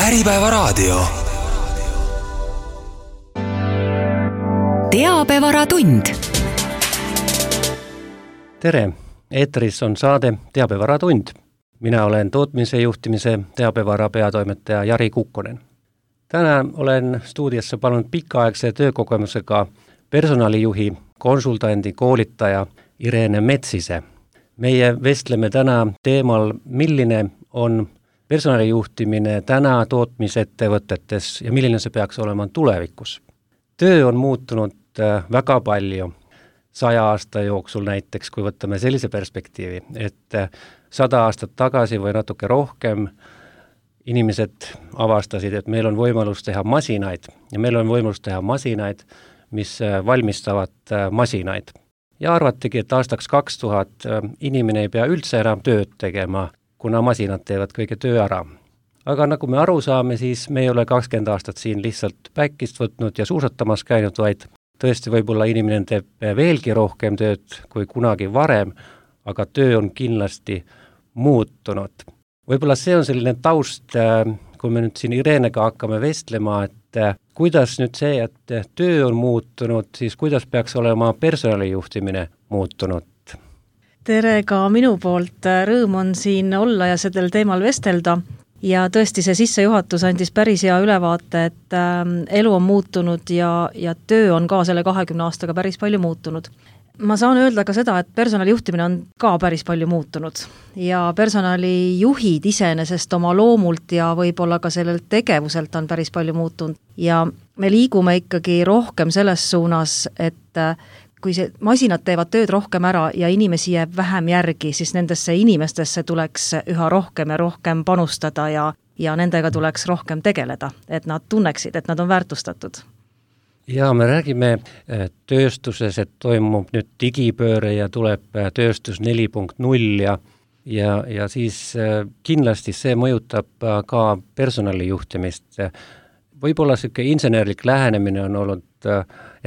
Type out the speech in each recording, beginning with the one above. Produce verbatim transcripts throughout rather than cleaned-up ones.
Äripäevaraadio. Teabevaratund. Tere, eetris on saade Teabevaratund. Mina olen tootmise juhtimise teabevara peatoimetaja Jari Kukkonen. Täna olen stuudiossa palunud pikaaegse töökogemusega personalijuhi, konsultandi, koolitaja Irene Metsise. Meie vestleme täna teemal, milline on personalijuhtimine täna tootmisettevõtetes ja milline see peaks olema tulevikus. Töö on muutunud väga palju saja aasta jooksul näiteks, kui võtame sellise perspektiivi, et sada aastat tagasi või natuke rohkem inimesed avastasid, et meil on võimalus teha masinaid ja meil on võimalus teha masinaid, mis valmistavad masinaid. Ja arvatigi, et aastaks kaks tuhat inimene ei pea üldse enam tööd tegema, kuna masinad teevad kõige töö ära. Aga nagu me aru saame, siis me ei ole kakskümmend aastat siin lihtsalt päikist võtnud ja suusatamas käinud, vaid tõesti võib-olla inimene teeb veelgi rohkem tööd kui kunagi varem, aga töö on kindlasti muutunud. Võib-olla see on selline taust, kui me nüüd siin Irenega hakkame vestlema, et kuidas nüüd see, et töö on muutunud, siis kuidas peaks olema personalijuhtimine muutunud? Tere ka minu poolt, rõõm on siin olla ja sellel teemal vestelda. Ja tõesti see sissejuhatus andis päris hea ülevaate, et elu on muutunud ja, ja töö on ka selle kahekümne aastaga päris palju muutunud. Ma saan öelda ka seda, et personalijuhtimine on ka päris palju muutunud ja personalijuhid iseenesest oma loomult ja võib-olla ka sellelt tegevuselt on päris palju muutunud. Ja me liigume ikkagi rohkem selles suunas, et kui see masinad teevad tööd rohkem ära ja inimesi jääb vähem järgi, siis nendesse inimestesse tuleks üha rohkem ja rohkem panustada ja, ja nendega tuleks rohkem tegeleda, et nad tunneksid, et nad on väärtustatud. Ja me räägime tööstuses, et toimub nüüd digipööre ja tuleb tööstus neli punkt null ja, ja, ja siis kindlasti see mõjutab ka personalijuhtimist. Võib-olla selline insenerlik lähenemine on olnud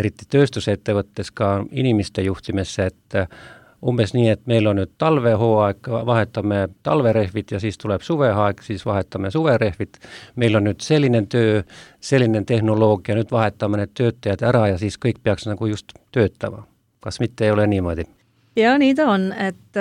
eriti tööstusettevõttes ka inimeste juhtimisse, et umbes nii, et meil on nüüd talvehooaeg, vahetame talverehvid ja siis tuleb suveaeg, siis vahetame suverehvid. Meil on nüüd selline töö, selline tehnoloogia, nüüd vahetame need töötajad ära ja siis kõik peaks nagu just töötama. Kas mitte ei ole niimoodi? Ja nii ta on, et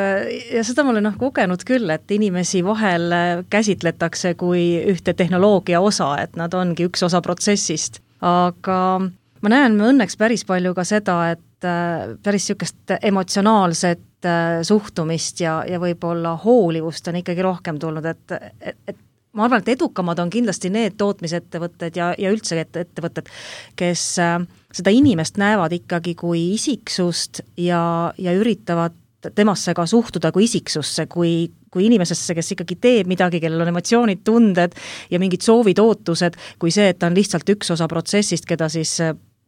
ja seda ma olen noh, kogenud küll, et inimesi vahel käsitletakse kui ühte tehnoloogia osa, et nad ongi üks osa protsessist. Aga ma näen me õnneks päris palju ka seda, et päris niisugust emotsionaalset suhtumist ja, ja võib-olla hoolivust on ikkagi rohkem tulnud, et, et, et ma arvan, et edukamad on kindlasti need tootmisettevõtted ja, ja üldse ettevõtted, kes seda inimest näevad ikkagi kui isiksust ja, ja üritavad temasse ka suhtuda kui isiksusse, kui, kui inimesesse, kes ikkagi teeb midagi, kellel on emotsioonid, tunded ja mingid soovid, ootused, kui see, et ta on lihtsalt üks osa protsessist, keda siis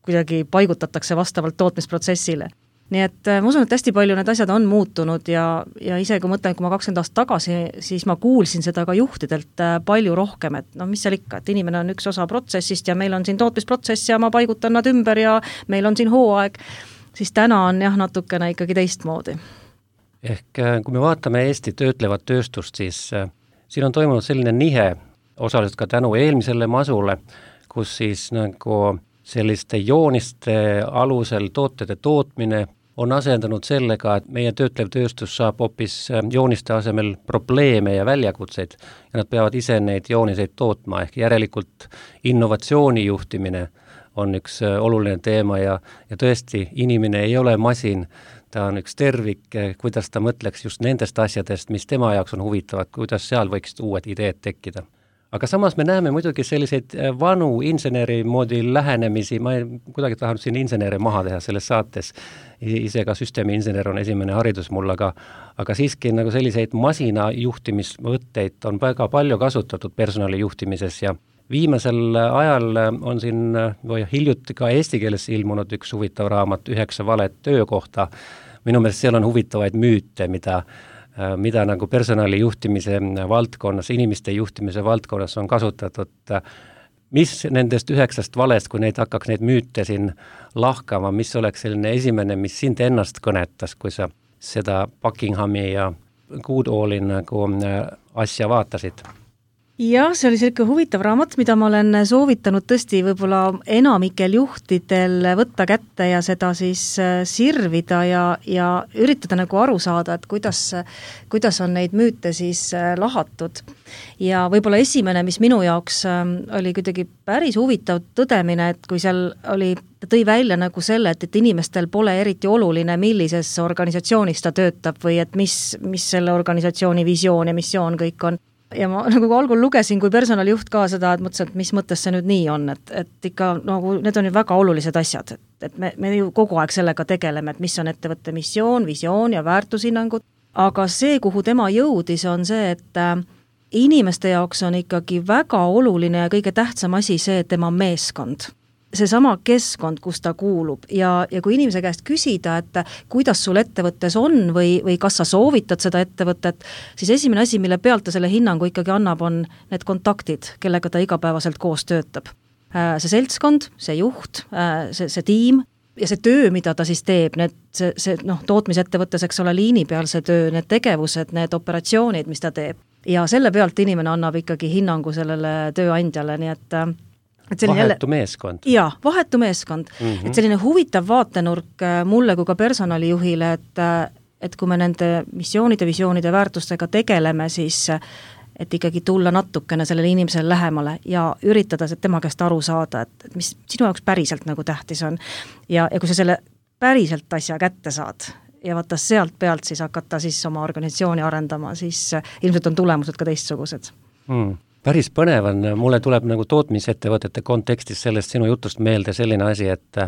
kuidagi paigutatakse vastavalt tootmisprotsessile. Nii et ma usun, et hästi palju need asjad on muutunud ja, ja ise kui mõtlen, kui ma kakskümmend aastat tagasi, siis ma kuulsin seda ka juhtidelt palju rohkem, et no mis seal ikka, et inimene on üks osa protsessist ja meil on siin tootmisprotsess ja ma paigutan nad ümber ja meil on siin hooaeg, siis täna on jah natukene ikkagi teistmoodi. Ehk kui me vaatame Eesti töötlevat tööstust, siis siin on toimunud selline nihe, osaliselt ka tänu eelmisele masule, kus siis nagu selliste jooniste alusel tootede tootmine on asendanud sellega, et meie töötlev tööstus saab hoopis jooniste asemel probleeme ja väljakutseid ja nad peavad ise neid jooniseid tootma, ehk järelikult innovatsiooni juhtimine on üks oluline teema ja, ja tõesti inimene ei ole masin, ta on üks tervik, kuidas ta mõtleks just nendest asjadest, mis tema jaoks on huvitavad, kuidas seal võiksid uued ideed tekkida. Aga samas me näeme muidugi selliseid vanu inseneri moodi lähenemisi, ma ei kuidagi tahanud siin inseneri maha teha selles saates, ise ka süsteemi insener on esimene haridus mul, aga, aga siiski nagu selliseid masina juhtimisvõtteid on väga palju kasutatud personali juhtimises ja viimasel ajal on siin või hiljuti ka eesti keeles ilmunud üks huvitav raamat üheksa valet töökohta. Minu meelest seal on huvitavaid müüte, mida mida nagu personali juhtimise valdkonnas, inimeste juhtimise valdkonnas on kasutatud. Mis nendest üheksast valest, kui neid hakkaks neid müüte siin lahkama, mis oleks selline esimene, mis sind ennast kõnetas, kui sa seda Buckinghami ja Goodall'i nagu asja vaatasid? jah, see oli selline huvitav raamat, mida ma olen soovitanud tõesti võib-olla enamikel juhtidel võtta kätte ja seda siis sirvida ja, ja üritada nagu aru saada, et kuidas, kuidas on neid müüte siis lahatud. Ja võib-olla esimene, mis minu jaoks oli kuidagi päris huvitav tõdemine, et kui seal oli, ta tõi välja nagu selle, et, et inimestel pole eriti oluline, millises organisatsioonis ta töötab või et mis, mis selle organisatsiooni visioon ja missioon kõik on. Ja ma nagu algul lugesin kui personalijuht ka seda, et mõtlesin, et mis mõttes see nüüd nii on, et, et ikka nagu need on ju väga olulised asjad, et, et me, me ju kogu aeg sellega tegeleme, et mis on ettevõtte missioon, visioon ja väärtushinnangud, aga see, kuhu tema jõudis, on see, et äh, inimeste jaoks on ikkagi väga oluline ja kõige tähtsam asi see, et tema meeskond. Seesama keskkond, kus ta kuulub ja, ja kui inimese käest küsida, et kuidas sul ettevõttes on või, või kas sa soovitad seda ettevõtet, siis esimene asi, mille pealt ta selle hinnangu ikkagi annab, on need kontaktid, kellega ta igapäevaselt koos töötab. See seltskond, see juht, see, see tiim ja see töö, mida ta siis teeb, need, see, see noh, tootmisettevõttes, eks ole, liini peal see töö, need tegevused, need operatsioonid, mis ta teeb. Ja selle pealt inimene annab ikkagi hinnangu sellele tööandjale, nii et Et vahetu jälle, meeskond. Jaa, vahetu meeskond. Mm-hmm. Et selline huvitav vaatenurk mulle kui ka personalijuhile, et, et kui me nende missioonide, visioonide väärtustega tegeleme, siis et ikkagi tulla natukene sellele inimesele lähemale ja üritada tema käest aru saada, et, et mis sinu jaoks päriselt nagu tähtis on. Ja, ja kui sa selle päriselt asja kätte saad ja vaata sealt pealt siis hakata siis oma organisatsiooni arendama, siis ilmselt on tulemused ka teistsugused. Mm. Päris põnev on, mulle tuleb nagu tootmisettevõtete kontekstis sellest sinu jutust meelde selline asi, et,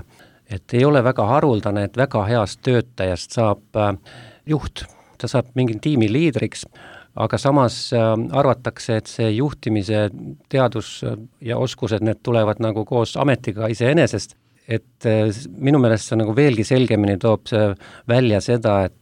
et ei ole väga haruldane, et väga heast töötajast saab juht, ta saab mingi tiimi liidriks, aga samas arvatakse, et see juhtimise teadus ja oskused, need tulevad nagu koos ametiga iseenesest, et minu meelest see nagu veelgi selgemini toob see välja seda, et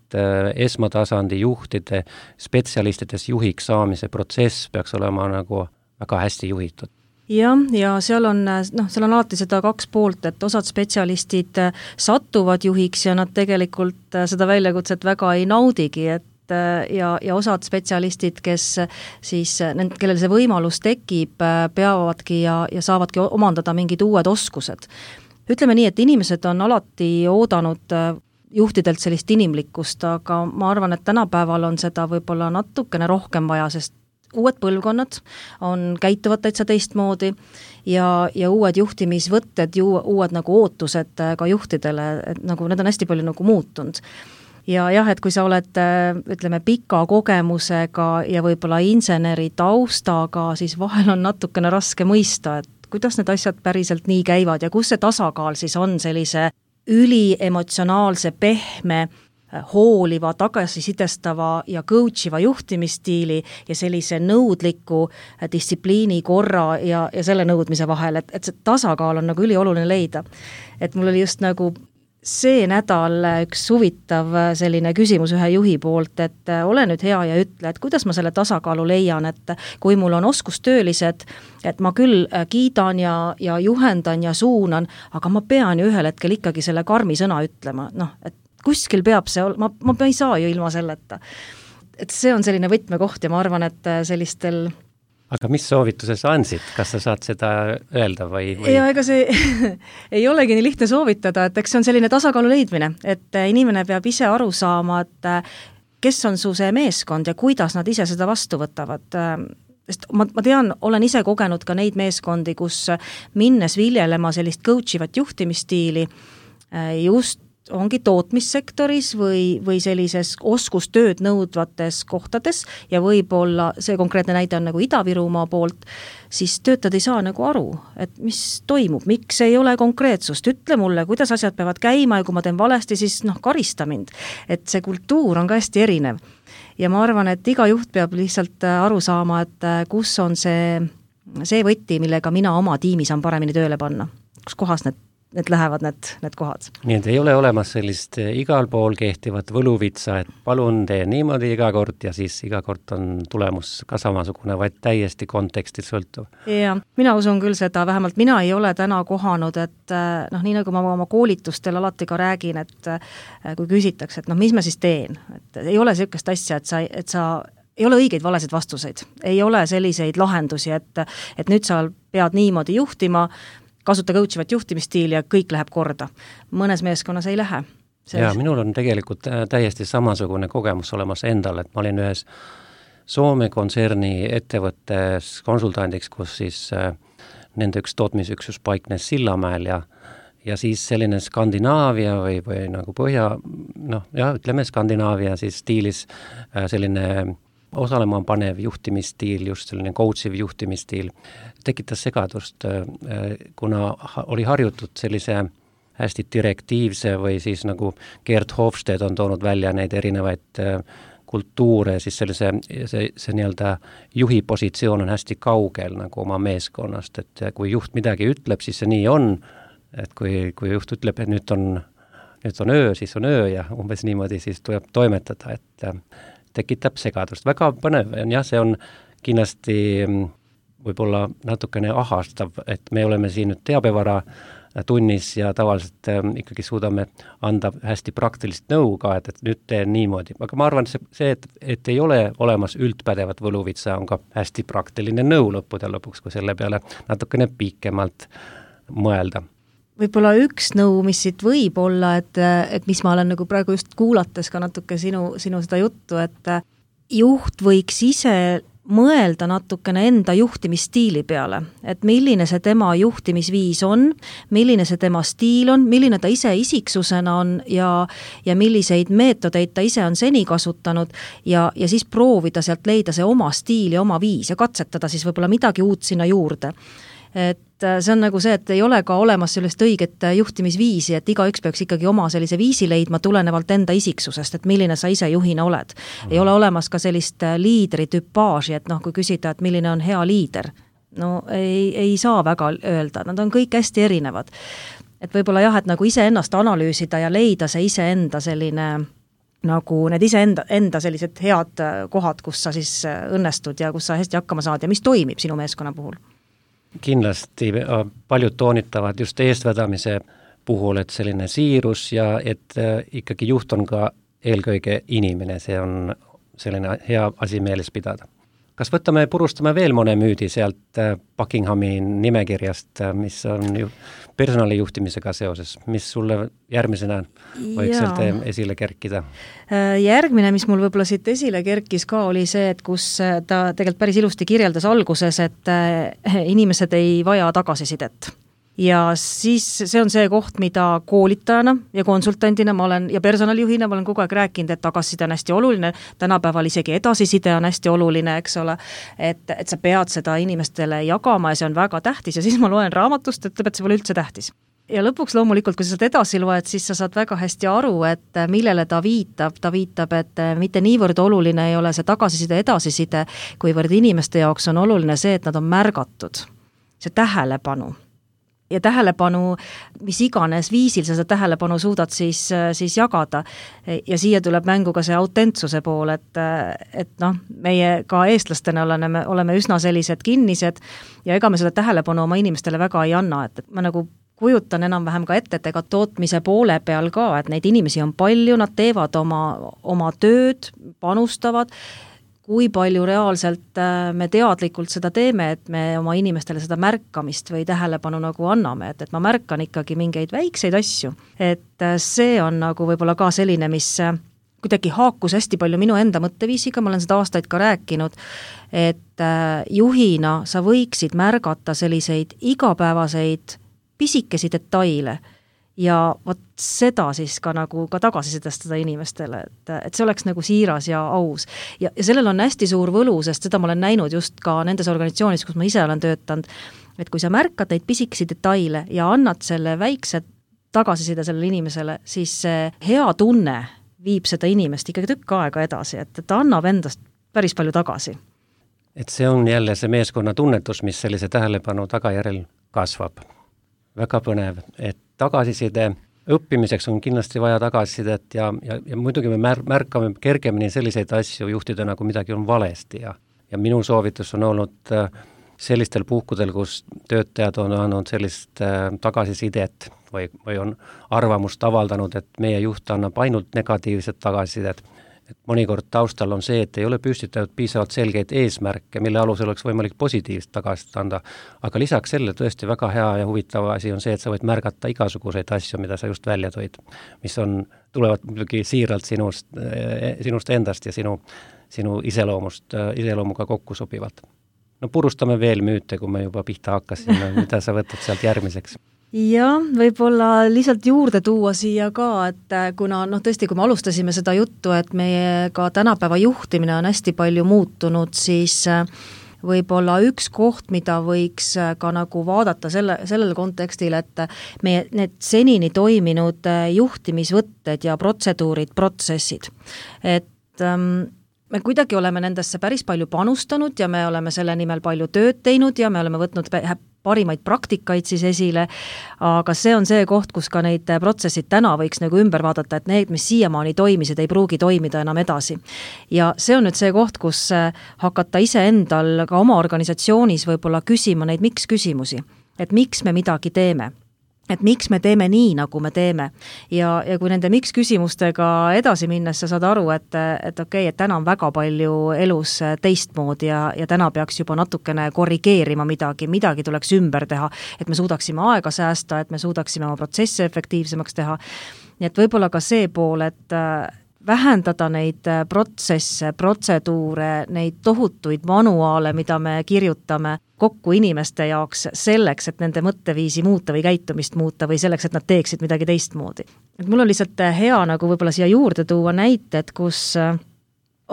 esmatasandi juhtide, spetsialistides juhiks saamise protsess peaks olema nagu väga hästi juhitud. Jah, ja seal on, noh, seal on alati seda kaks poolt, et osad spetsialistid satuvad juhiks ja nad tegelikult seda väljakutset väga ei naudigi, et ja, ja osad spetsialistid, kes siis, kellel see võimalus tekib, peavadki ja, ja saavadki omandada mingid uued oskused. Ütleme nii, et inimesed on alati oodanud juhtidelt sellist inimlikkust, aga ma arvan, et tänapäeval on seda võib-olla natukene rohkem vaja, sest uued põlvkonnad on käituvad täitsa teistmoodi ja, ja uued juhtimisvõtted, uued nagu ootused ka juhtidele, et nagu need on hästi palju nagu muutunud. Ja jah, et kui sa oled, ütleme, pika kogemusega ja võib-olla inseneri taustaga, siis vahel on natukene raske mõista, et kuidas need asjad päriselt nii käivad ja kus see tasakaal siis on sellise üliemotsionaalse, pehme, hooliva, tagasisidestava ja coachiva juhtimisstiili ja sellise nõudliku distsipliini korra ja, ja selle nõudmise vahel, et, et see tasakaal on nagu ülioluline leida. Et mul oli just nagu see nädal üks huvitav selline küsimus ühe juhi poolt, et ole nüüd hea ja ütle, et kuidas ma selle tasakaalu leian, et kui mul on oskustöölised, et ma küll kiidan ja, ja juhendan ja suunan, aga ma pean ju ühel hetkel ikkagi selle karmi sõna ütlema, noh, et kuskil peab see, ma, ma ei saa ju ilma selleta. Et see on selline võtmekoht ja ma arvan, et sellistel Aga mis soovituse sa andsid? Kas sa saad seda öelda või, või...? Ja ega see ei olegi nii lihtne soovitada, et eks see on selline tasakaalu leidmine, et inimene peab ise aru saama, et kes on su see meeskond ja kuidas nad ise seda vastu võtavad. Sest ma, ma tean, olen ise kogenud ka neid meeskondi, kus minnes viljelema sellist coachivat juhtimisstiili just ongi tootmissektoris või, või sellises oskustööd nõudvates kohtades ja võib-olla see konkreetne näide on nagu Ida-Virumaa poolt, siis töötad ei saa nagu aru, et mis toimub, miks ei ole konkreetsust, ütle mulle, kuidas asjad peavad käima ja kui ma teen valesti, siis noh, karista mind. Et see kultuur on ka hästi erinev. Ja ma arvan, et iga juht peab lihtsalt aru saama, et kus on see, see võtti, millega mina oma tiimi saan paremini tööle panna, kus kohas need need lähevad need, need kohad. Nii, et ei ole olemas sellist igal pool kehtivat võluvitsa, et palun tee niimoodi iga kord ja siis iga kord on tulemus ka samasugune, vaid täiesti kontekstist sõltuv. Ja, mina usun küll seda, vähemalt mina ei ole täna kohanud, et noh, nii nagu ma oma koolitustel alati ka räägin, et kui küsitakse, et noh, mis ma siis teen, et ei ole sellist asja, et sa, et sa ei ole õigeid valesid vastuseid, ei ole selliseid lahendusi, et, et nüüd sa pead niimoodi juhtima, kasuta coachivat juhtimisstiili ja kõik läheb korda. Mõnes meeskonnas ei lähe. Ja minul on tegelikult täiesti samasugune kogemus olemas endal, et ma olin ühes Soome kontserni ettevõttes konsultandiks, kus siis nende üks tootmisüksus paiknes Sillamäel ja ja siis selline Skandinaavia või, või nagu põhja, noh, jah, ütleme Skandinaavia siis stiilis selline osalema panev juhtimisstiil, just selline coachiv juhtimisstiil, tekitas segadust, kuna oli harjutud sellise hästi direktiivse või siis nagu Gerd Hofstede on toonud välja neid erinevaid kultuure, siis sellise, see, see nii-öelda juhi positsioon on hästi kaugel nagu oma meeskonnast, et kui juht midagi ütleb, siis see nii on, et kui, kui juht ütleb, et nüüd on, nüüd on öö, siis on öö ja umbes niimoodi siis tuleb toimetada, et tekitab segadust. Väga põnev on jah, see on kindlasti võib-olla natukene ahastav, et me oleme siin nüüd teabevara tunnis ja tavaliselt ikkagi suudame anda hästi praktilist nõu ka, et, et nüüd teen niimoodi. Aga ma arvan, see, see et, et ei ole olemas üldpädevat võluvitsa, on ka hästi praktiline nõu lõppude lõpuks, kui selle peale natukene pikemalt mõelda. Võib-olla üks nõu, mis siit võib olla, et, et mis ma olen nagu praegu just kuulates ka natuke sinu, sinu seda juttu, et juht võiks ise mõelda natukene enda juhtimisstiili peale, et milline see tema juhtimisviis on, milline see tema stiil on, milline ta ise isiksusena on ja, ja milliseid meetodeid ta ise on seni kasutanud ja, ja siis proovida sealt leida see oma stiil ja oma viis ja katsetada siis võib-olla midagi uut sinna juurde. Et see on nagu see, et ei ole ka olemas sellist õiget juhtimisviisi, et igaüks peaks ikkagi oma sellise viisi leidma tulenevalt enda isiksusest, et milline sa ise juhina oled. Mm. Ei ole olemas ka sellist liidri tüpaaži, et noh, kui küsida, et milline on hea liider, no ei, ei saa väga öelda, nad on kõik hästi erinevad. Et võib-olla jah, et nagu ise ennast analüüsida ja leida see ise enda selline nagu need ise enda, enda sellised head kohad, kus sa siis õnnestud ja kus sa hästi hakkama saad ja mis toimib sinu meeskonna puhul. Kindlasti paljud toonitavad just eestvedamise puhul, et selline siirus ja et ikkagi juht on ka eelkõige inimene, see on selline hea asi meeles pidada. Kas võtame, purustame veel mõne müüdi sealt Buckinghami nimekirjast, mis on ju personalijuhtimisega seoses, mis sulle järgmisena võiks sealt esile kerkida? Järgmine, mis mul võib-olla siit esile kerkis ka, oli see, et kus ta tegelikult päris ilusti kirjeldas alguses, et inimesed ei vaja tagasisidet. Ja siis see on see koht, mida koolitajana ja konsultandina ma olen ja personalijuhina ma olen kogu aeg rääkinud, et tagasiside on hästi oluline, tänapäeval isegi edasiside on hästi oluline, eks ole, et, et sa pead seda inimestele jagama ja see on väga tähtis ja siis ma loen raamatust, et ütleb, et see pole üldse tähtis. Ja lõpuks loomulikult, kui sa seda edasi loed, siis sa saad väga hästi aru, et millele ta viitab. Ta viitab, et mitte niivõrd oluline ei ole see tagasiside edasiside, kuivõrd inimeste jaoks on oluline see, et nad on märgatud. See tähelepanu. Ja tähelepanu, mis iganes viisil sa seda tähelepanu suudad siis, siis jagada. Ja siia tuleb mängu ka see autentsuse pool, et, et noh, meie ka eestlastena oleme, oleme üsna sellised kinnised ja ega me seda tähelepanu oma inimestele väga ei anna, et, et ma nagu kujutan enam-vähem ka ette, et ega tootmise poole peal ka, et neid inimesi on palju, nad teevad oma, oma tööd, panustavad, kui palju reaalselt me teadlikult seda teeme, et me oma inimestele seda märkamist või tähelepanu nagu anname, et, et ma märkan ikkagi mingeid väikseid asju. Et see on nagu võib-olla ka selline, mis kuidagi haakus hästi palju minu enda mõtteviisiga, ma olen seda aastaid ka rääkinud, et juhina sa võiksid märgata selliseid igapäevaseid pisikesi detaile ja vot seda siis ka nagu ka tagasisidestada inimestele, et, et see oleks nagu siiras ja aus. Ja, ja sellel on hästi suur võlu, sest seda ma olen näinud just ka nendes organisatsioonis, kus ma ise olen töötanud, et kui sa märkad neid pisikesi detaile ja annad selle väikse tagasiside sellele inimesele, siis see hea tunne viib seda inimest ikkagi tükk aega edasi, et ta annab endast päris palju tagasi. Et see on jälle see meeskonna tunnetus, mis sellise tähelepanu tagajärjel kasvab. Väga põnev, et tagasiside õppimiseks on kindlasti vaja tagasisidet ja, ja, ja muidugi me mär, märkame kergemini selliseid asju juhtidena, kui midagi on valesti ja, ja minu soovitus on olnud sellistel puhkudel, kus töötajad on andnud sellist tagasisidet või, või on arvamust avaldanud, et meie juht annab ainult negatiivset tagasisidet, et mõnikord taustal on see, et ei ole püstitatud piisavalt selgeid eesmärke, mille alusel oleks võimalik positiivset tagasisidet anda, aga lisaks selle tõesti väga hea ja huvitav asi on see, et sa võid märgata igasuguseid asju, mida sa just välja tõid, mis on, tulevad muidugi siiralt sinust, sinust endast ja sinu, sinu iseloomust, iseloomuga kokku sobivad. No purustame veel müüte, kui me juba pihta hakkasime, mida sa võtad sealt järgmiseks? Ja võib-olla lihtsalt juurde tuua siia ka, et kuna noh, tõesti, kui me alustasime seda juttu, et meie ka tänapäeva juhtimine on hästi palju muutunud, siis võib-olla üks koht, mida võiks ka nagu vaadata selle, sellel kontekstil, et meie need senini toiminud juhtimisvõtted ja protseduurid, protsessid, et ähm, me kuidagi oleme nendesse päris palju panustanud ja me oleme selle nimel palju tööd teinud ja me oleme võtnud parimaid praktikaid siis esile, aga see on see koht, kus ka neid protsessid täna võiks nagu ümber vaadata, et need, mis siiamaani toimisid, ei pruugi toimida enam edasi. Ja see on nüüd see koht, kus hakata iseendal ka oma organisatsioonis võib-olla küsima neid miks küsimusi, et miks me midagi teeme. Et miks me teeme nii, nagu me teeme. Ja, ja kui nende miks küsimustega edasi minnes sa saad aru, et, et okei, okay, et täna on väga palju elus teistmoodi ja, ja täna peaks juba natukene korrigeerima midagi, midagi tuleks ümber teha, et me suudaksime aega säästa, et me suudaksime oma protsesse efektiivsemaks teha. Nii et võib-olla ka see pool, et vähendada neid protsesse, protseduure, neid tohutuid manuaale, mida me kirjutame kokku inimeste jaoks selleks, et nende mõtteviisi muuta või käitumist muuta või selleks, et nad teeksid midagi teistmoodi. Et mul on lihtsalt hea nagu võib-olla siia juurde tuua näited, kus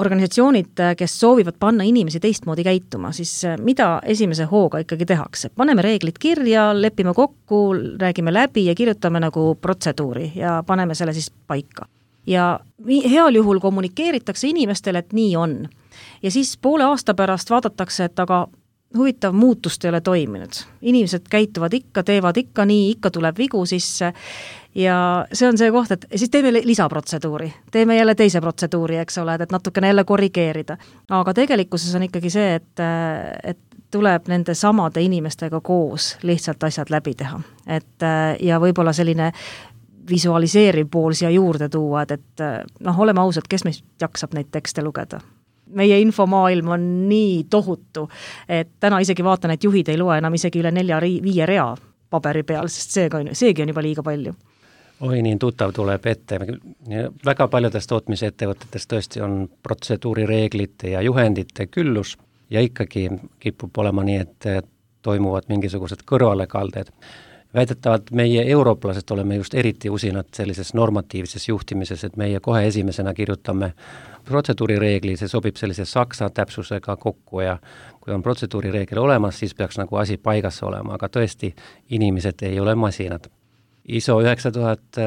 organisatsioonid, kes soovivad panna inimesi teistmoodi käituma, siis mida esimese hooga ikkagi tehakse? Paneme reeglid kirja, lepime kokku, räägime läbi ja kirjutame nagu protseduuri ja paneme selle siis paika. Ja heal juhul kommunikeeritakse inimestele, et nii on. Ja siis poole aasta pärast vaadatakse, et aga huvitav muutust ei ole toiminud. Inimesed käituvad ikka, teevad ikka nii, ikka tuleb vigu sisse ja see on see koht, et siis teeme lisaprotseduuri. Teeme jälle teise protseduuri, eks ole, et natukene jälle korrigeerida. Aga tegelikkuses on ikkagi see, et, et tuleb nende samade inimestega koos lihtsalt asjad läbi teha. Et, ja võib-olla selline visualiseeriv pool siia juurde tuua, et, et noh, oleme ausad, kes meist jaksab neid tekste lugeda. Meie infomaailm on nii tohutu, et täna isegi vaatan, et juhid ei loe enam isegi üle nelja viie rea paberi peal, sest seegi on, seegi on juba liiga palju. Oi, nii tuttav tuleb ette. Väga paljudest tootmisettevõtetest tõesti on protseduurireeglite ja juhendite küllus ja ikkagi kipub olema nii, et toimuvad mingisugused kõrvalekalded. Väidetavalt meie eurooplased oleme just eriti usinad sellises normatiivses juhtimises, et meie kohe esimesena kirjutame protseduurireegli, see sobib sellise saksa täpsusega kokku ja kui on protseduurireegel olemas, siis peaks nagu asi paigas olema, aga tõesti inimesed ei ole masinad. I S O üheksa tuhat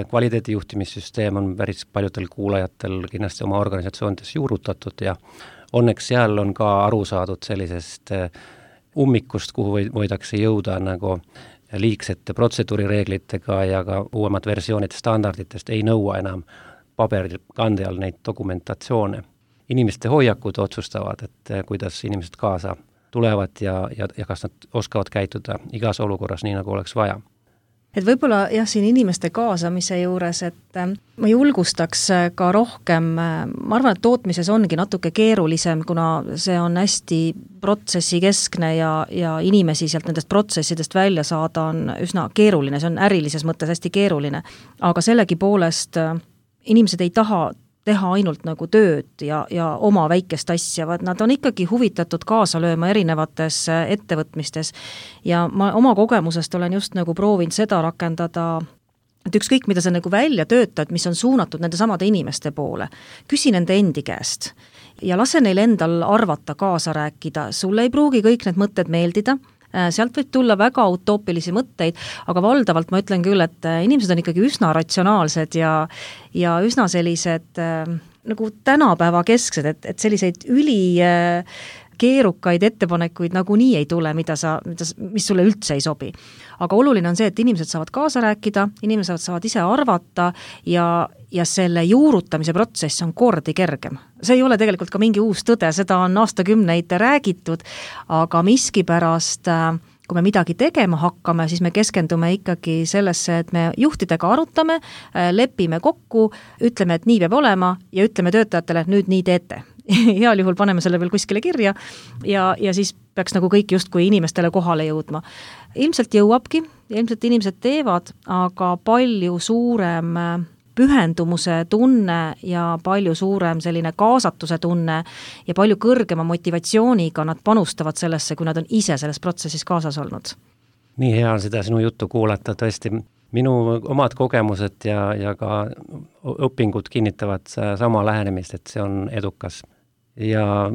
kvaliteedijuhtimissüsteem on päris paljudel kuulajatel kindlasti oma organisatsioonides juurutatud ja õnneks seal on ka aru saadud sellisest ummikust, kuhu võidakse jõuda nagu liigsete protseduurireeglitega ja ka uuemad versioonid standarditest ei nõua enam paberil kande all neid dokumentatsioone. Inimeste hoiakud otsustavad, et kuidas inimesed kaasa tulevad ja, ja, ja kas nad oskavad käituda igas olukorras nii, nagu oleks vaja. Et võib-olla jah, siin inimeste kaasamise juures, et ma julgustaks ka rohkem, ma arvan, et tootmises ongi natuke keerulisem, kuna see on hästi protsessi keskne ja, ja inimesi sealt nendest protsessidest välja saada on üsna keeruline, see on ärilises mõttes hästi keeruline, aga sellegi poolest inimesed ei taha teha ainult nagu tööd ja, ja oma väikest asja, vaid nad on ikkagi huvitatud kaasa lööma erinevates ettevõtmistes ja ma oma kogemusest olen just nagu proovinud seda rakendada, et ükskõik, mida sa nagu välja töötad, mis on suunatud nende samade inimeste poole, küsi nende endi käest ja lase neil endal arvata, kaasa rääkida, sulle ei pruugi kõik need mõtted meeldida, sealt võib tulla väga utoopilisi mõtteid, aga valdavalt ma ütlen küll, et inimesed on ikkagi üsna ratsionaalsed ja, ja üsna sellised nagu tänapäeva kesksed, et, et selliseid üli keerukaid ettepanekuid nagu nii ei tule, mida sa, mida, mis sulle üldse ei sobi. Aga oluline on see, et inimesed saavad kaasa rääkida, inimesed saavad ise arvata ja, ja selle juurutamise protsess on kordi kergem. See ei ole tegelikult ka mingi uus tõde, seda on aastakümneid räägitud, aga miskipärast kui me midagi tegema hakkame, siis me keskendume ikkagi sellesse, et me juhtidega arutame, lepime kokku, ütleme, et nii peab olema ja ütleme töötajatele, et nüüd nii teete. Heal juhul paneme selle veel kuskile kirja ja, ja siis peaks nagu kõik justkui inimestele kohale jõudma. Ilmselt jõuabki, ilmselt inimesed teevad, aga palju suurem pühendumuse tunne ja palju suurem selline kaasatuse tunne ja palju kõrgema motivatsiooniga nad panustavad sellesse, kui nad on ise selles protsessis kaasas olnud. Nii hea on seda sinu juttu kuulata, tõesti minu omad kogemused ja, ja ka õpingud kinnitavad sama lähenemist, et see on edukas. Ja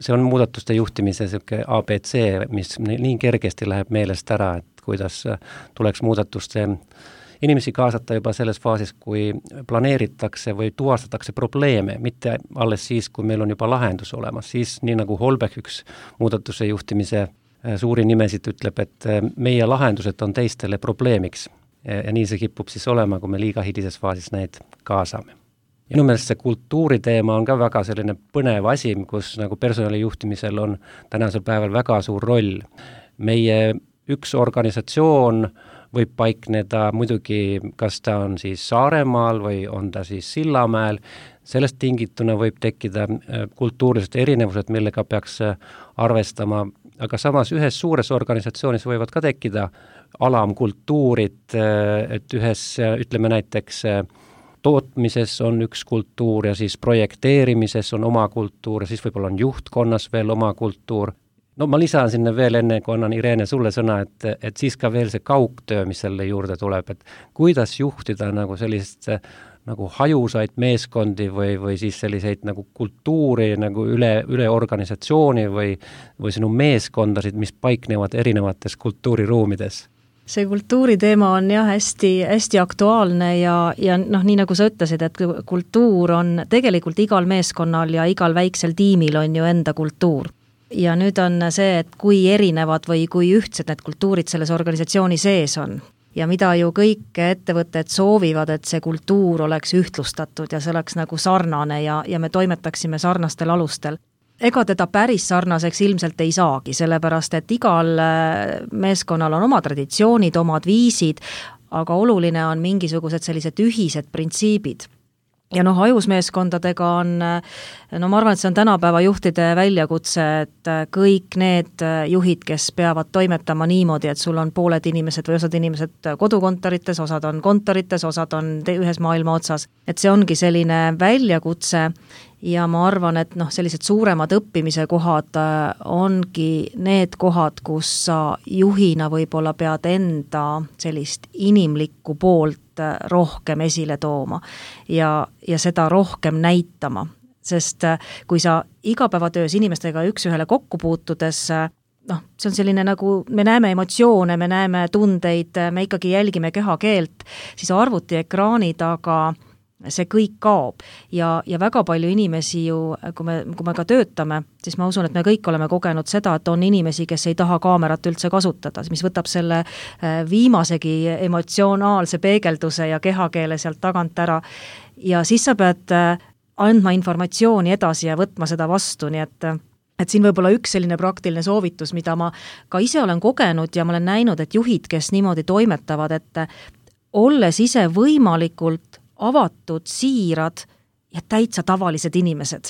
see on muudatuste juhtimise selline A B C, mis nii kergesti läheb meelest ära, et kuidas tuleks muudatuste inimesi kaasata juba selles faasis, kui planeeritakse või tuvastatakse probleeme, mitte alles siis, kui meil on juba lahendus olemas. Siis nii nagu Holbeck, üks muudatuse juhtimise suuri nimesid ütleb, et meie lahendused on teistele probleemiks. Ja nii see kipub siis olema, kui me liiga hidises faasis neid kaasame. Minu meelest see kultuuriteema on ka väga selline põnev asi, kus nagu personalijuhtimisel on tänasel päeval väga suur roll. Meie üks organisatsioon võib paikneda muidugi, kas ta on siis Saaremaal või on ta siis Sillamäel. Sellest tingituna võib tekkida kultuurilised erinevused, millega peaks arvestama, aga samas ühes suures organisatsioonis võivad ka tekkida alamkultuurid, et ühes, ütleme näiteks, tootmises on üks kultuur ja siis projekteerimises on oma kultuur ja siis võib-olla on juhtkonnas veel oma kultuur. No ma lisan sinna veel enne, kui annan Irene sulle sõna, et, et siis ka veel see kaugtöö, mis selle juurde tuleb, et kuidas juhtida nagu sellist nagu hajusaid meeskondi või, või siis selliseid nagu kultuuri nagu üle, üle organisatsiooni või, või sinu meeskondasid, mis paiknevad erinevates kultuuriruumides. See kultuuriteema on jah hästi, hästi aktuaalne ja, ja noh, nii nagu sa ütlesid, et kultuur on tegelikult igal meeskonnal ja igal väiksel tiimil on ju enda kultuur. Ja nüüd on see, et kui erinevad või kui ühtsed need kultuurid selles organisatsiooni sees on. Ja mida ju kõik ettevõtted soovivad, et see kultuur oleks ühtlustatud ja see oleks nagu sarnane ja, ja me toimetaksime sarnastel alustel. Ega teda päris sarnaseks ilmselt ei saagi, sellepärast et igal meeskonnal on oma traditsioonid, omad viisid, aga oluline on mingisugused sellised ühised printsiibid. Ja noh, hajusmeeskondadega on, no ma arvan, et see on tänapäeva juhtide väljakutse, et kõik need juhid, kes peavad toimetama niimoodi, et sul on pooled inimesed või osad inimesed kodukontorites, osad on kontorites, osad on ühes maailma otsas. Et see ongi selline väljakutse ja ma arvan, et noh, sellised suuremad õppimise kohad ongi need kohad, kus sa juhina võib-olla pead enda sellist inimlikku poolt rohkem esile tooma ja, ja seda rohkem näitama. Sest kui sa igapäevatöös inimestega üks ühele kokku puutudes, noh, see on selline nagu, me näeme emotsioone, me näeme tundeid, me ikkagi jälgime kehakeelt, siis arvuti ekraani taga see kõik kaob ja, ja väga palju inimesi ju, kui me, kui me ka töötame, siis ma usun, et me kõik oleme kogenud seda, et on inimesi, kes ei taha kaamerat üldse kasutada, mis võtab selle viimasegi emotsionaalse peegelduse ja kehakeele sealt tagant ära ja siis sa pead andma informatsiooni edasi ja võtma seda vastu, nii et et siin võib olla üks selline praktiline soovitus, mida ma ka ise olen kogenud ja ma olen näinud, et juhid, kes niimoodi toimetavad, et olles ise võimalikult avatud, siirad ja täitsa tavalised inimesed.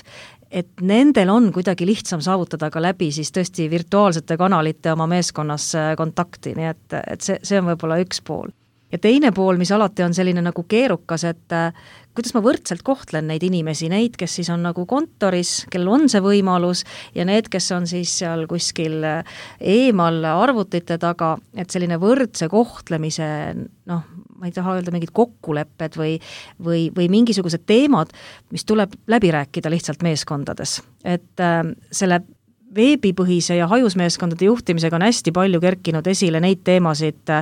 Et nendel on kuidagi lihtsam saavutada ka läbi siis tõesti virtuaalsete kanalite oma meeskonnas kontakti, nii et, et see, see on võib-olla üks pool. Ja teine pool, mis alati on selline nagu keerukas, et kuidas ma võrdselt kohtlen neid inimesi, neid, kes siis on nagu kontoris, kellel on see võimalus ja need, kes on siis seal kuskil eemal arvutite taga, et selline võrdse kohtlemise, noh, ma ei taha öelda mingid kokkulepped või, või, või mingisugused teemad, mis tuleb läbi rääkida lihtsalt meeskondades. Et äh, selle veebipõhise ja hajusmeeskondade juhtimisega on hästi palju kerkinud esile neid teemasid,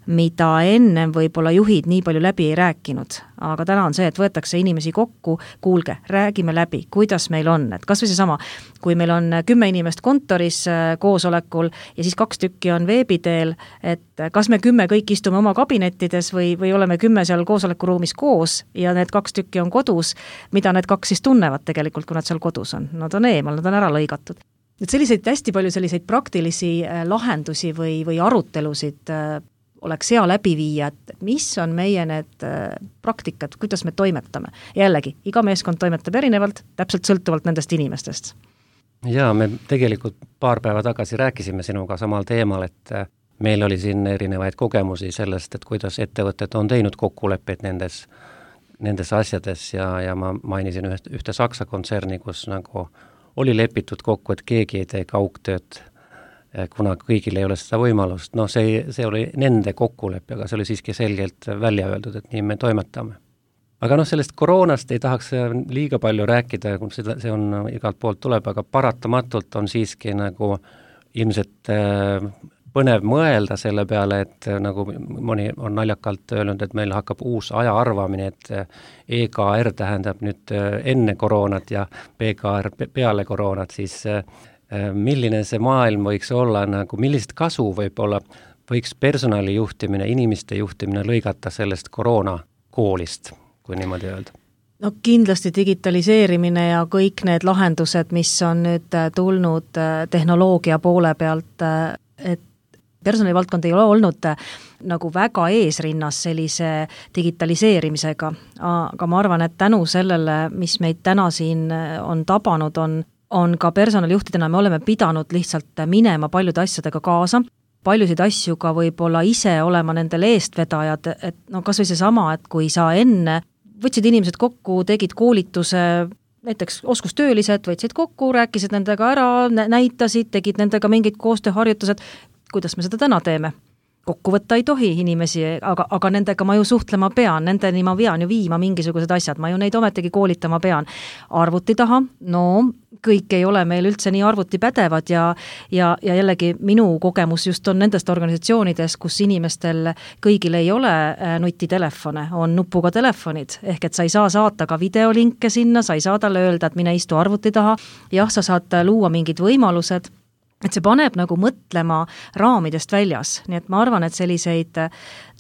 mida ennem võib-olla juhid nii palju läbi ei rääkinud. Aga täna on see, et võetakse inimesi kokku, kuulge, räägime läbi, kuidas meil on, et kas või see sama, kui meil on kümme inimest kontoris koosolekul ja siis kaks tükki on veebiteel, et kas me kümme kõik istume oma kabinettides või, või oleme kümme seal koosolekuruumis koos ja need kaks tükki on kodus, mida need kaks siis tunnevad tegelikult, kui nad seal kodus on. Nad on eemal, nad on ära lõigatud. Et selliseid hästi palju selliseid praktilisi lahendusi või, või arutelusid oleks hea läbi viia, et mis on meie need praktikad, kuidas me toimetame. Jällegi, iga meeskond toimetab erinevalt, täpselt sõltuvalt nendest inimestest. Jaa, me tegelikult paar päeva tagasi rääkisime sinuga samal teemal, et meil oli siin erinevaid kogemusi sellest, et kuidas ettevõtted on teinud kokkuleppeid nendes, nendes asjades ja, ja ma mainisin ühte, ühte Saksa kontserni, kus nagu oli lepitud kokku, et keegi ei tee kaugtööd, kuna kõigil ei ole seda võimalust. No see, see oli nende kokkulepe, aga see oli siiski selgelt välja öeldud, et nii me toimetame. Aga noh, sellest koroonast ei tahaks liiga palju rääkida, kui seda, see on igalt poolt tuleb, aga paratamatult on siiski nagu ilmselt põnev mõelda selle peale, et nagu mõni on naljakalt öelnud, et meil hakkab uus aja arvamine, et E K R tähendab nüüd enne koroonat ja P K R peale koroonat, siis milline see maailm võiks olla, nagu millist kasu võib-olla võiks personali juhtimine, inimeste juhtimine lõigata sellest koroonakoolist, kui niimoodi öelda? No kindlasti digitaliseerimine ja kõik need lahendused, mis on nüüd tulnud tehnoloogia poole pealt, et personalivaldkond ei ole olnud nagu väga eesrinnas sellise digitaliseerimisega, aga ma arvan, et tänu sellele, mis meid täna siin on tabanud, on on ka personalijuhtidena, me oleme pidanud lihtsalt minema paljude asjadega kaasa, paljusid asju ka võib-olla ise olema nendel eestvedajad, et no kas või see sama, et kui sa enne võtsid inimesed kokku, tegid koolituse, näiteks oskustöölised, võtsid kokku, rääkisid nendega ära, näitasid, tegid nendega mingid koostööharjutused, kuidas me seda täna teeme? Kokku võtta ei tohi inimesi, aga, aga nendega ma ju suhtlema pean, nendeni ma pean ju viima mingisugused asjad, ma ju neid ometigi koolitama pean. Arvuti taha, no kõik ei ole meil üldse nii arvuti pädevad ja, ja, ja jällegi minu kogemus just on nendest organisatsioonides, kus inimestel kõigil ei ole nutitelefone, on nupuga telefonid, ehk et sa ei saa saata ka videolinke sinna, sa ei saa talle öelda, et mine istu arvuti taha, jah, sa saad luua mingid võimalused, et see paneb nagu mõtlema raamidest väljas, nii et ma arvan, et selliseid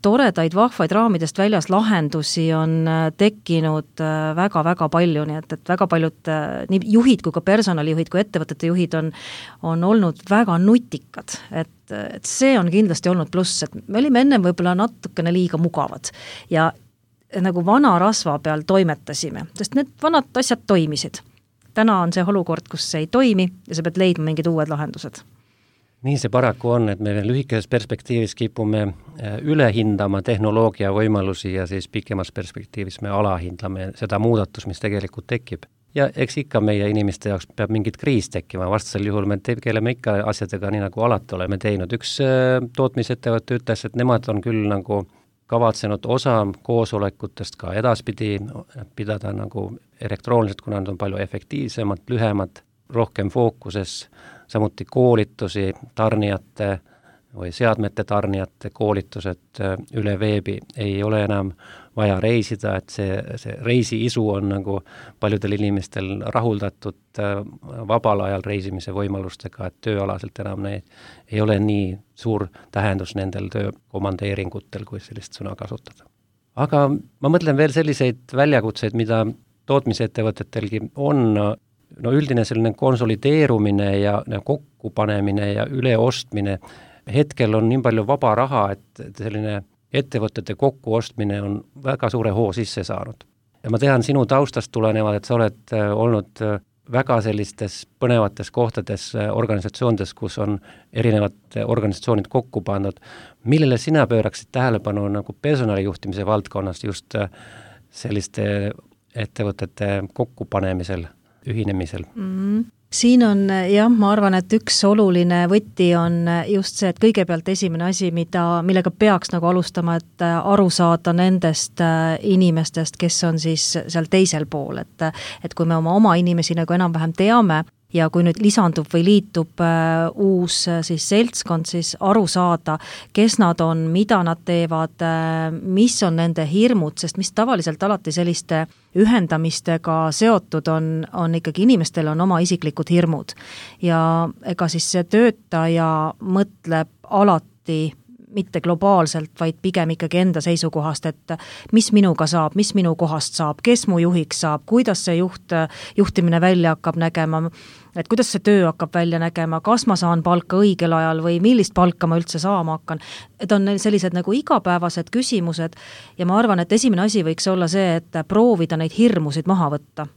toredaid, vahvaid raamidest väljas lahendusi on tekkinud väga-väga palju, nii et, et väga paljud nii juhid kui ka personalijuhid kui ettevõtete juhid on, on olnud väga nutikad, et, et see on kindlasti olnud pluss, et me olime ennem võib-olla natukene liiga mugavad ja nagu vana rasva peal toimetasime, sest need vanad asjad toimisid. Täna on see olukord, kus see ei toimi ja sa pead leidma mingid uued lahendused. Nii see paraku on, et me lühikeses perspektiivis kipume üle hindama tehnoloogia võimalusi ja siis pikemas perspektiivis me alahindlame seda muudatus, mis tegelikult tekib. Ja eks ikka meie inimeste jaoks peab mingid kriis tekkima, vastasel juhul me tegeleme ikka asjadega nii nagu alati oleme teinud. Üks tootmisettevõte ütles, et nemad on küll nagu kavatsenud osa koosolekutest ka edaspidi pidada nagu elektrooniliselt, kuna nad on palju efektiivsemad, lühemad, rohkem fookuses, samuti koolitusi, tarnijate või seadmete tarnijate koolitused üle veebi ei ole enam vaja reisida, et see, see reisiisu on nagu paljudel inimestel rahuldatud vabal ajal reisimise võimalustega, et tööalaselt enam neid ei ole nii suur tähendus nendel töökomandeeringutel, kui sellist sõna kasutada. Aga ma mõtlen veel selliseid väljakutseid, mida tootmisettevõtetelgi on, no üldine selline konsolideerumine ja kokkupanemine ja üleostmine. Hetkel on nii palju vaba raha, et selline ettevõtete kokkuostmine on väga suure hoo sisse saanud. Ja ma tean sinu taustast tulenevad, et sa oled olnud väga sellistes põnevates kohtades organisatsioonides, kus on erinevad organisatsioonid kokku pandud. Millele sina pööraksid tähelepanu nagu personalijuhtimise valdkonnast just selliste ettevõtete kokkupanemisel, ühinemisel? Mm. Siin on, jah, ma arvan, et üks oluline võti on just see, et kõigepealt esimene asi, mida, millega peaks nagu alustama, et aru saada nendest inimestest, kes on siis seal teisel pool, et, et kui me oma oma inimesi nagu enam-vähem teame ja kui nüüd lisandub või liitub äh, uus äh, siis seltskond, siis aru saada, kes nad on, mida nad teevad, äh, mis on nende hirmud, sest mis tavaliselt alati selliste ühendamistega seotud on, on ikkagi inimestel on oma isiklikud hirmud. Ja ega siis see töötaja mõtleb alati mitte globaalselt, vaid pigem ikkagi enda seisukohast, et mis minuga saab, mis minu kohast saab, kes mu juhiks saab, kuidas see juht, juhtimine välja hakkab nägema, et kuidas see töö hakkab välja nägema, kas ma saan palka õigel ajal või millist palka ma üldse saama hakkan. Et on sellised nagu igapäevased küsimused ja ma arvan, et esimene asi võiks olla see, et proovida neid hirmusid maha võtta.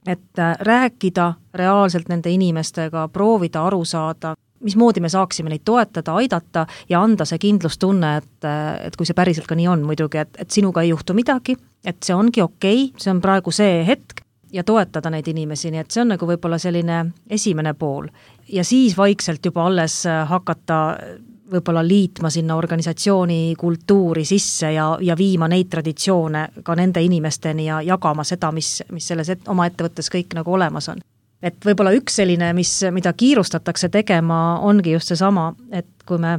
Et rääkida reaalselt nende inimestega, proovida aru saada, mismoodi me saaksime neid toetada, aidata ja anda see kindlustunne, et, et kui see päriselt ka nii on muidugi, et, et sinuga ei juhtu midagi, et see ongi okei, see on praegu see hetk ja toetada neid inimesi, nii et see on nagu võib-olla selline esimene pool. Ja siis vaikselt juba alles hakata võib-olla liitma sinna organisatsiooni kultuuri sisse ja, ja viima neid traditsioone ka nende inimesteni ja jagama seda, mis, mis selles et, oma ettevõttes kõik nagu olemas on. Et võib-olla üks selline, mis, mida kiirustatakse tegema, ongi just see sama, et kui me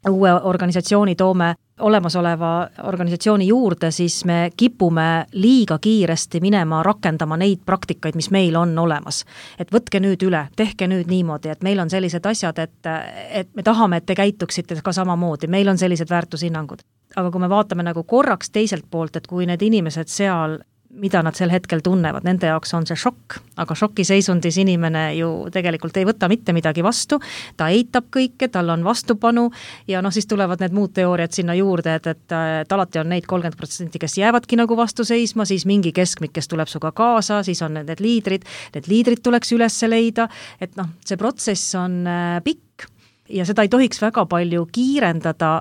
uue organisatsiooni toome olemasoleva organisatsiooni juurde, siis me kipume liiga kiiresti minema rakendama neid praktikaid, mis meil on olemas. Et võtke nüüd üle, tehke nüüd niimoodi, et meil on sellised asjad, et, et me tahame, et te käituksite ka samamoodi, meil on sellised väärtushinnangud. Aga kui me vaatame nagu korraks teiselt poolt, et kui need inimesed seal mida nad sel hetkel tunnevad, nende jaoks on see šokk, aga šokiseisundis inimene ju tegelikult ei võta mitte midagi vastu, ta eitab kõike, tal on vastupanu ja noh, siis tulevad need muud teooriad sinna juurde, et, et, et alati on neid kolmkümmend protsenti, kes jäävadki nagu vastu seisma, siis mingi keskmik, kes tuleb suga kaasa, siis on need liidrid, need liidrid tuleks üles leida, et noh, see protsess on pikk ja seda ei tohiks väga palju kiirendada,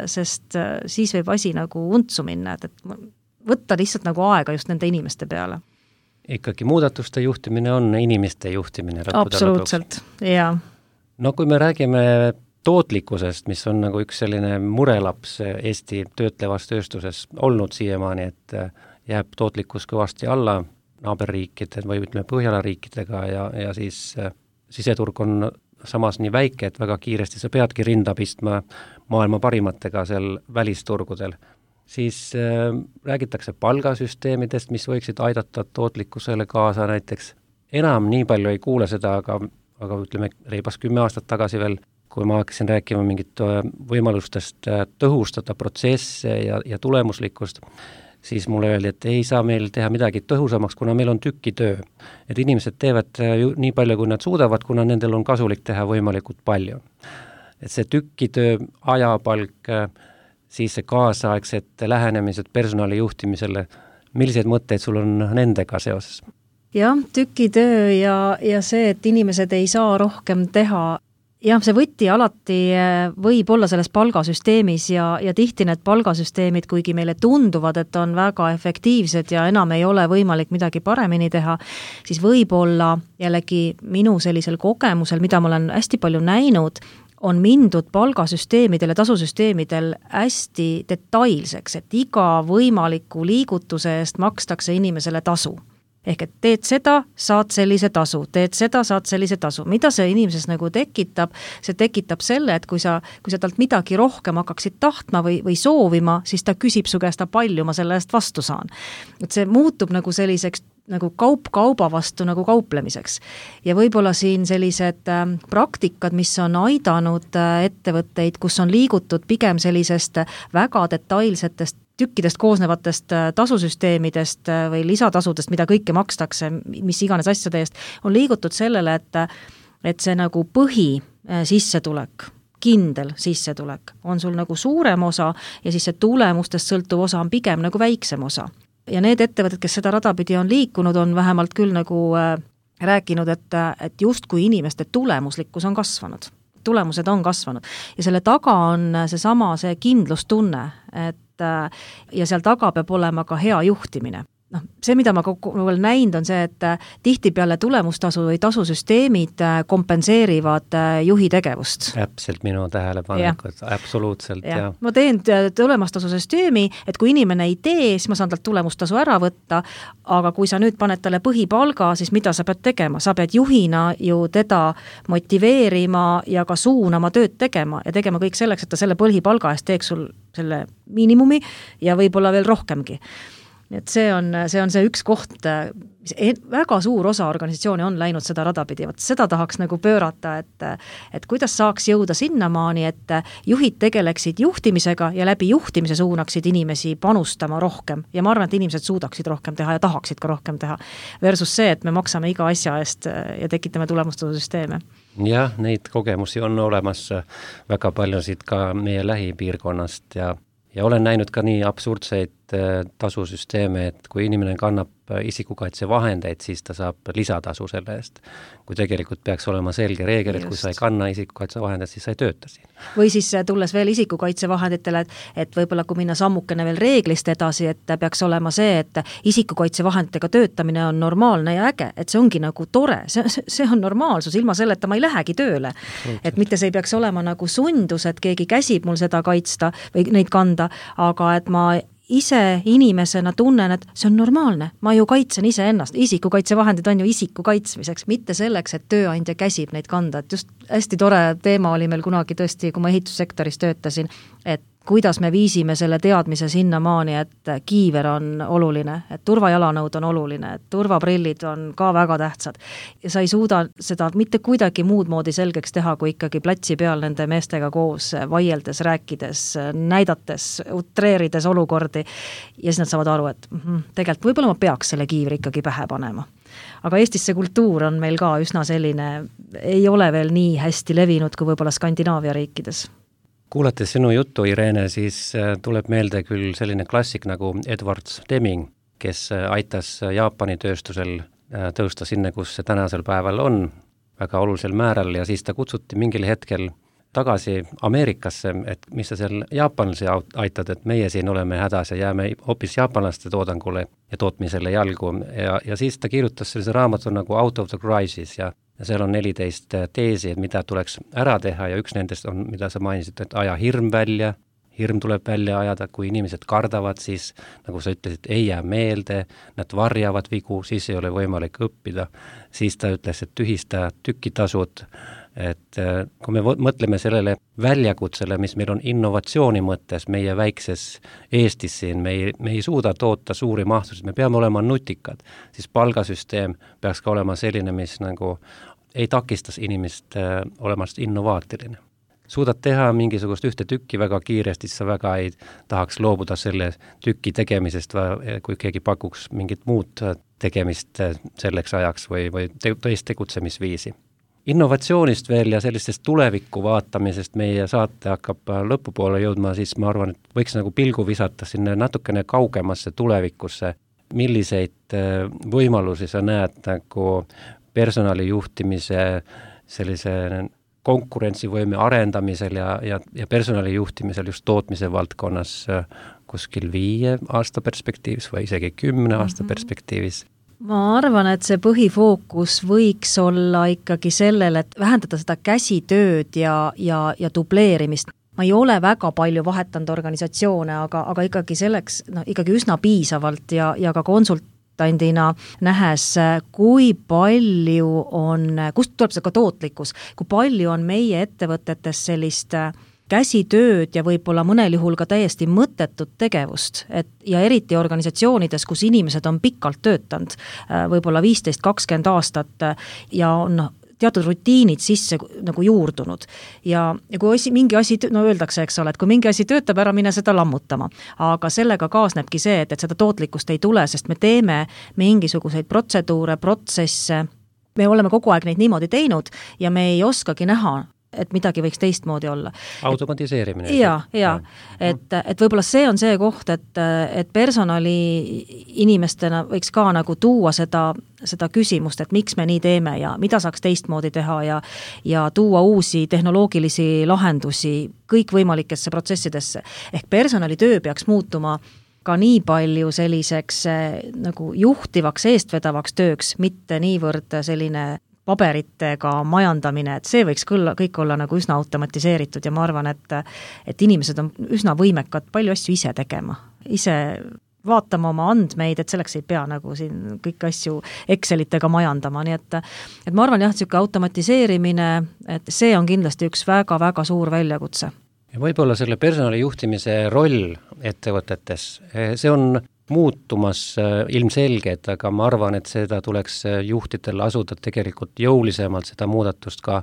sest siis võib asi nagu untsu minna, et, et võtta lihtsalt nagu aega just nende inimeste peale. Ikkagi muudatuste juhtimine on inimeste juhtimine. Absoluutselt, jaa. No kui me räägime tootlikkusest, mis on nagu üks selline murelaps Eesti töötlevas tööstuses olnud siiamaani, et jääb tootlikkus kõvasti alla naaberriikide või ütleme Põhjala riikidega ja, ja siis siseturg on samas nii väike, et väga kiiresti sa peadki rinda pistma maailma parimatega seal välisturgudel. Siis äh, räägitakse palgasüsteemidest, mis võiksid aidata tootlikkusele kaasa näiteks. Enam nii palju ei kuule seda, aga, aga ütleme reibas kümme aastat tagasi veel, kui ma hakkasin rääkima mingit võimalustest tõhustada protsesse ja, ja tulemuslikkust, siis mulle öeldi, et ei saa meil teha midagi tõhusamaks, kuna meil on tükitöö. Et inimesed teevad ju nii palju, kui nad suudavad, kuna nendel on kasulik teha võimalikult palju. Et see tükitöö, ajapalk, siis see kaasaegsed lähenemised personali juhtimisele, milliseid mõtteid sul on nendega seoses? Jah, tükitöö ja, ja see, et inimesed ei saa rohkem teha. Jah, see võti alati võib olla selles palgasüsteemis ja, ja tihti need palgasüsteemid, kuigi meile tunduvad, et on väga efektiivsed ja enam ei ole võimalik midagi paremini teha, siis võib-olla jällegi minu sellisel kogemusel, mida ma olen hästi palju näinud, on mindud palgasüsteemidel ja tasusüsteemidel hästi detailseks, et iga võimaliku liigutuse eest makstakse inimesele tasu. Ehk et teed seda, saad sellise tasu, teed seda, saad sellise tasu. Mida see inimeses nagu tekitab? See tekitab selle, et kui sa, kui sa talt midagi rohkem hakkaksid tahtma või, või soovima, siis ta küsib su käest, palju ma selle eest vastu saan. Et see muutub nagu selliseks nagu kaup kauba vastu nagu kauplemiseks. Ja võib-olla siin sellised äh, praktikad, mis on aidanud äh, ettevõtteid, kus on liigutud pigem sellisest väga detailsetest tükkidest koosnevatest äh, tasusüsteemidest äh, või lisatasudest, mida kõike makstakse, mis iganes asjade eest, on liigutud sellele, et, et see nagu põhi äh, sissetulek, kindel sissetulek on sul nagu suurem osa ja siis see tulemustest sõltuv osa on pigem nagu väiksem osa. Ja need ettevõtted, kes seda radapidi on liikunud, on vähemalt küll nagu äh, rääkinud, et, et just kui inimeste tulemuslikkus on kasvanud. Tulemused on kasvanud. Ja selle taga on seesama see kindlustunne, et äh, ja seal taga peab olema ka hea juhtimine. noh, see, mida ma kogu olen näinud, on see, et tihtipeale tulemustasu või tasusüsteemid kompenseerivad juhi tegevust. Täpselt minu tähelepanekud, absoluutselt. Ja. Ja. Ma teen tulemustasusüsteemi, et kui inimene ei tee, siis ma saan talt tulemustasu ära võtta, aga kui sa nüüd paned talle põhipalga, siis mida sa pead tegema? Sa pead juhina ju teda motiveerima ja ka suunama tööd tegema ja tegema kõik selleks, et ta selle põhipalga eest teeks sul selle miinimumi ja võib-olla veel rohkemgi. Et see on, see on see üks koht, mis väga suur osa organisatsiooni on läinud seda rada pidi. Võt seda tahaks nagu pöörata, et, et kuidas saaks jõuda sinnamaani, et juhid tegeleksid juhtimisega ja läbi juhtimise suunaksid inimesi panustama rohkem. Ja ma arvan, et inimesed suudaksid rohkem teha ja tahaksid ka rohkem teha. Versus see, et me maksame iga asja eest ja tekitame tulemustasusüsteeme. Jah, neid kogemusi on olemas väga paljusid ka meie lähipiirkonnast ja Ja olen näinud ka nii absurdseid tasusüsteeme, et kui inimene kannab isikukaitse vahendeid, siis ta saab lisatasu selle eest. Kui tegelikult peaks olema selge reegel, et Just. kui sa ei kanna isikukaitse vahendeid, siis sa ei tööta siin. Või siis tulles veel isikukaitse vahenditele, et, et võib-olla kui minna sammukene veel reeglist edasi, et peaks olema see, et isikukaitse vahenditega töötamine on normaalne ja äge, et see ongi nagu tore, see, see on normaalsus, ilma selleta ma ei lähegi tööle. Et mitte see ei peaks olema nagu sundus, et keegi käsib mul seda kaitsta või neid kanda, aga et ma ise inimesena tunnen, et see on normaalne. Ma ju kaitsen ise ennast. Isikukaitsevahendid on ju isiku kaitsmiseks, mitte selleks, et tööandja käsib neid kanda. Et just hästi tore teema oli meil kunagi tõesti, kui ma ehitussektoris töötasin, et kuidas me viisime selle teadmise sinnamaani, et kiiver on oluline, et turvajalanõud on oluline, et turvaprillid on ka väga tähtsad. Ja sa ei suuda seda mitte kuidagi muud moodi selgeks teha, kui ikkagi platsi peal nende meestega koos vaieldes, rääkides, näidates, utreerides olukordi. Ja siis nad saavad aru, et mm, tegelikult võib-olla ma peaks selle kiivri ikkagi pähe panema. Aga Eestis see kultuur on meil ka üsna selline, ei ole veel nii hästi levinud kui võib-olla Skandinaavia riikides. Kuulates sinu juttu, Irene, siis tuleb meelde küll selline klassik nagu Edward Deming, kes aitas Jaapani tööstusel tõusta sinna, kus see tänasel päeval on väga olulisel määral ja siis ta kutsuti mingil hetkel tagasi Ameerikasse, et mis sa seal jaapanlasi aitad, et meie siin oleme hädas ja jääme hoopis jaapanlaste toodangule ja tootmisele jalgu ja, ja siis ta kirjutas sellise raamatu nagu Out of the Crisis ja Ja seal on neliteist teesi, et mida tuleks ära teha ja üks nendest on, mida sa mainisid, et aja hirm välja, hirm tuleb välja ajada, kui inimesed kardavad, siis nagu sa ütlesid, ei jää meelde, nad varjavad vigu, siis ei ole võimalik õppida. Siis ta ütles, et tühista tükitasud, et kui me mõtleme sellele väljakutsele, mis meil on innovatsiooni mõttes meie väikses Eestis siin, me ei, me ei suuda toota suuri mahtusid, me peame olema nutikad, siis palgasüsteem peaks ka olema selline, mis nagu ei takistas inimest äh, olemast innovaatiline. Suudad teha mingisugust ühte tükki väga kiiresti, siis sa väga ei tahaks loobuda selle tüki tegemisest, kui keegi pakuks mingit muud tegemist selleks ajaks või, või teist tegutsemisviisi. Innovatsioonist veel ja sellistest tulevikku vaatamisest meie saate hakkab lõpupoole jõudma, siis ma arvan, et võiks nagu pilgu visata sinna natukene kaugemasse tulevikusse. Milliseid võimalusi sa näed nagu personalijuhtimise sellise konkurentsivõime arendamisel ja, ja, ja personalijuhtimisel just tootmise valdkonnas kuskil viie aasta perspektiivis või isegi kümne aasta mm-hmm. perspektiivis? Ma arvan, et see põhifookus võiks olla ikkagi sellel, et vähendada seda käsitööd ja, ja, ja dubleerimist. Ma ei ole väga palju vahetanud organisatsioone, aga, aga ikkagi selleks no, ikkagi üsna piisavalt ja, ja ka konsult nähes, kui palju on, kust tuleb see ka tootlikkus, kui palju on meie ettevõtetes sellist käsitööd ja võib-olla mõnel juhul ka täiesti mõttetut tegevust, et ja eriti organisatsioonides, kus inimesed on pikalt töötanud, võib-olla viisteist kakskümmend aastat ja on teatud rutiinid sisse nagu juurdunud. Ja, ja kui asi, mingi asi, no öeldakse, eks ole, et kui mingi asi töötab ära, mine seda lammutama. Aga sellega kaasnebki see, et, et seda tootlikkust ei tule, sest me teeme mingisuguseid protseduure, protsesse, me oleme kogu aeg neid niimoodi teinud ja me ei oskagi näha, et midagi võiks teistmoodi olla. Automatiseerimine. Ja, ja, et, et võib-olla see on see koht, et, et personali inimestena võiks ka nagu tuua seda, seda küsimust, et miks me nii teeme ja mida saaks teistmoodi teha ja, ja tuua uusi tehnoloogilisi lahendusi kõikvõimalikesse protsessidesse. Ehk personalitöö peaks muutuma ka nii palju selliseks nagu juhtivaks, eestvedavaks tööks, mitte niivõrd selline paberitega majandamine, et see võiks küll kõik olla nagu üsna automatiseeritud ja ma arvan, et, et inimesed on üsna võimekad palju asju ise tegema, ise vaatama oma andmeid, et selleks ei pea nagu siin kõiki asju Excelitega majandama, nii et, et ma arvan jah, et selline automatiseerimine, et see on kindlasti üks väga-väga suur väljakutse. Ja võib-olla selle personalijuhtimise roll ettevõtetes, see on muutumas ilmselged, aga ma arvan, et seda tuleks juhtidel asuda tegelikult jõulisemalt seda muudatust ka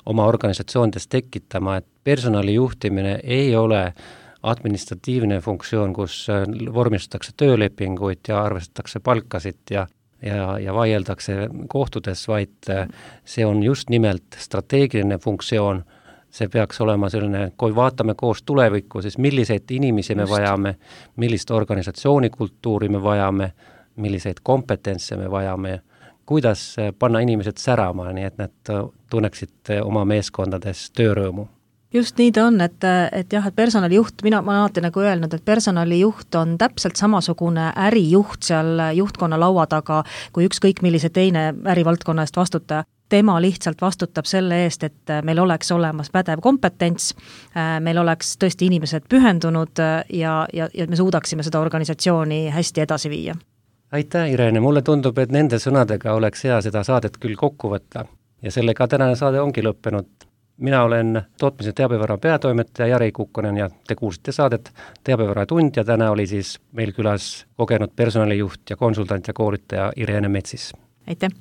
oma organisatsioonides tekitama, et personalijuhtimine ei ole administratiivne funktsioon, kus vormistatakse töölepinguid ja arvestatakse palkasid ja, ja, ja vaieldakse kohtudes, vaid see on just nimelt strateegiline funktsioon. See peaks olema selline, kui vaatame koos tulevikku, siis milliseid inimesi me vajame, millist organisatsioonikultuuri me vajame, milliseid kompetentse me vajame, kuidas panna inimesed särama, nii et nad tunneksid oma meeskondades töörõõmu. Just nii ta on, et, et jah, et personalijuht, mina ma alati nagu öelnud, et personalijuht on täpselt samasugune ärijuht seal juhtkonna laua taga, kui ükskõik millise teine ärivaldkonna eest vastutaja. Tema lihtsalt vastutab selle eest, et meil oleks olemas pädev kompetents, meil oleks tõesti inimesed pühendunud ja, ja, ja me suudaksime seda organisatsiooni hästi edasi viia. Aitäh, Irene, mulle tundub, et nende sõnadega oleks hea seda saadet küll kokku võtta ja sellega tänane saade ongi lõppenud. Mina olen tootmise teabevara peatoimetaja Jari Kukkonen ja te kuulsite saadet Teabevara tund ja täna oli siis meil külas kogenud personalijuht ja konsultant ja koolitaja Irene Metsis. Aitäh!